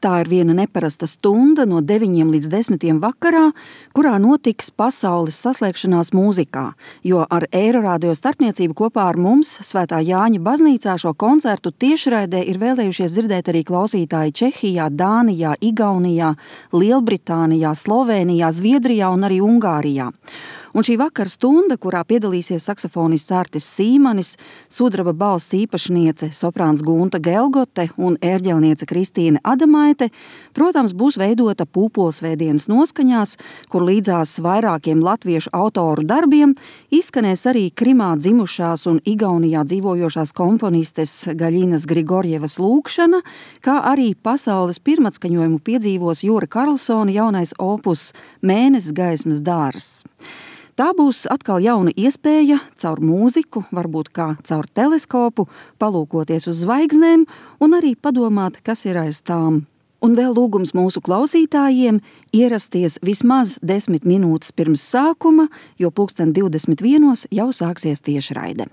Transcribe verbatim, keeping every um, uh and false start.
Tā ir viena neparasta stunda no deviņiem līdz desmitiem vakarā, kurā notiks pasaules saslēgšanās mūzikā, jo ar Eirorādio starpniecību kopā ar mums Svētā Jāņa baznīcā šo koncertu tiešraidē ir vēlējušies dzirdēt arī klausītāji Čehijā, Dānijā, Igaunijā, Lielbritānijā, Slovēnijā, Zviedrijā un arī Ungārijā. Un šī vakara stunda, kurā piedalīsies saksofonists Artis Sīmanis, sudraba balss īpašniece soprāns Gunta Gelgote un ērģelniece Kristīne Adamaite, protams, būs veidota pūpolsvētdienas noskaņās, kur līdzās vairākiem latviešu autoru darbiem izskanēs arī Krimā dzimušās un Igaunijā dzīvojošās komponistes Gaļinas Grigorjevas lūkšana, kā arī pasaules pirmatskaņojumu piedzīvos Jūra Karlsona jaunais opus Mēnesis gaismas dārs. Tā būs atkal jauna iespēja caur mūziku, varbūt kā caur teleskopu, palūkoties uz zvaigznēm un arī padomāt, kas ir aiz tām. Un vēl lūgums mūsu klausītājiem ierasties vismaz desmit minūtes pirms sākuma, jo pulksten divdesmit vienos jau sāksies tiešraide.